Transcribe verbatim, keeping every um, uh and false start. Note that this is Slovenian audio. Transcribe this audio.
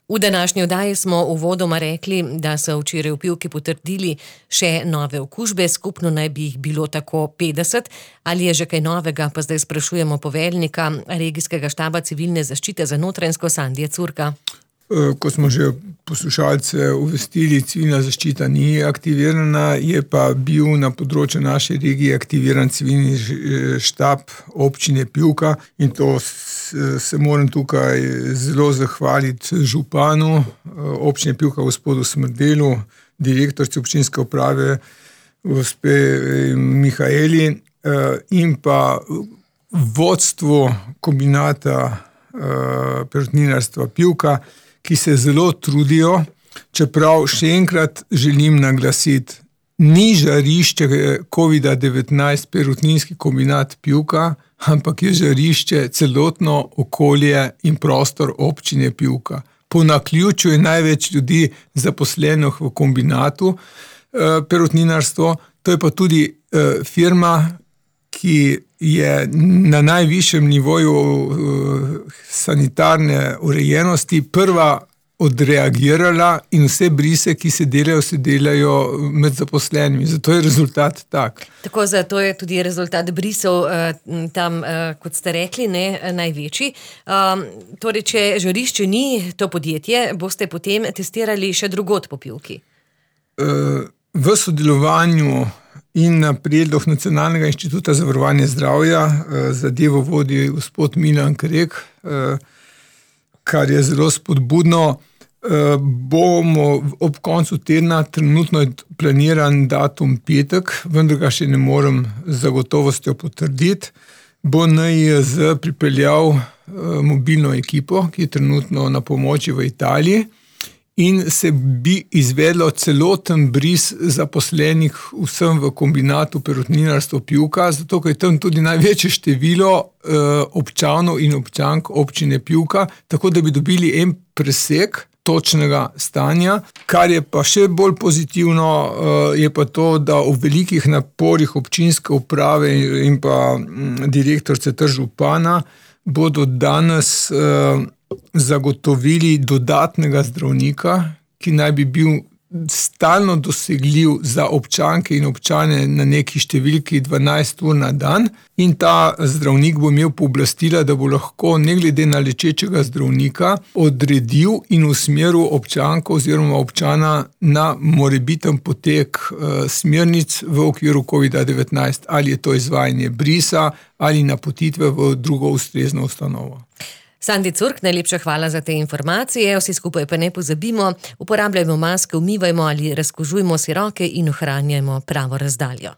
V današnji oddaji smo uvodoma rekli, da so včeraj v Pivki potrdili še nove okužbe, skupno naj bi jih bilo tako petdeset. Ali je že kaj novega, pa zdaj sprašujemo poveljnika regijskega štaba civilne zaščite za Notranjsko, Sandija Curka. Ko smo že poslušalce uvestili, civilna zaščita ni aktivirana, je pa bil na področju naše regije aktiviran civilni štab občine Pivka in to se moram tukaj zelo zahvaliti županu občine Pivka, gospodu Smrdelu, direktorici občinske uprave, gospe Mihaeli in pa vodstvu kombinata perutninarstva Pivka, ki se zelo trudijo, čeprav še enkrat želim naglasiti, ni žarišče kovida devetnajst perutninski kombinat Pivka, ampak je žarišče celotno okolje in prostor občine Pivka. Po naključju je največ ljudi zaposlenih v kombinatu perutninarstvo, to je pa tudi firma, ki je na najvišjem nivoju sanitarne urejenosti prva odreagirala in vse brise, ki se delajo, se delajo med zaposlenimi. Zato je rezultat tak. Tako, zato je tudi rezultat brisov tam, kot ste rekli, ne, največji. Torej, če žarišče ni to podjetje, boste potem testirali še drugod po Pivki? V sodelovanju in na predlog Nacionalnega inštituta za varovanje zdravja zadevo vodi gospod Milan Krek, kar je zelo spodbudno. Bomo ob koncu tedna, trenutno je planiran datum petek, vendar ga še ne morem z zagotovostjo potrditi, bo N I J Z pripeljal mobilno ekipo, ki je trenutno na pomoči v Italiji, in se bi izvedlo celoten bris zaposlenih vsem v kombinatu perutninarstvo Pivka, zato ker je tam tudi največje število občanov in občank občine Pivka, tako da bi dobili en presek točnega stanja. Kar je pa še bolj pozitivno, je pa to, da v velikih naporih občinske uprave in pa direktorice ter župana bodo danes zagotovili dodatnega zdravnika, ki naj bi bil stalno dosegljiv za občanke in občane na neki številki dvanajst ur na dan in ta zdravnik bo imel pooblastila, da bo lahko ne glede na lečečega zdravnika odredil in usmeril občanko oziroma občana na morebiten potek smernic v okviru kovida devetnajst, ali je to izvajanje brisa ali napotitve v drugo ustrezno ustanovo. Sandi Curk, najlepša hvala za te informacije, vsi skupaj pa ne pozabimo, uporabljajmo maske, umivajmo ali razkužujmo si roke in ohranjajmo pravo razdaljo.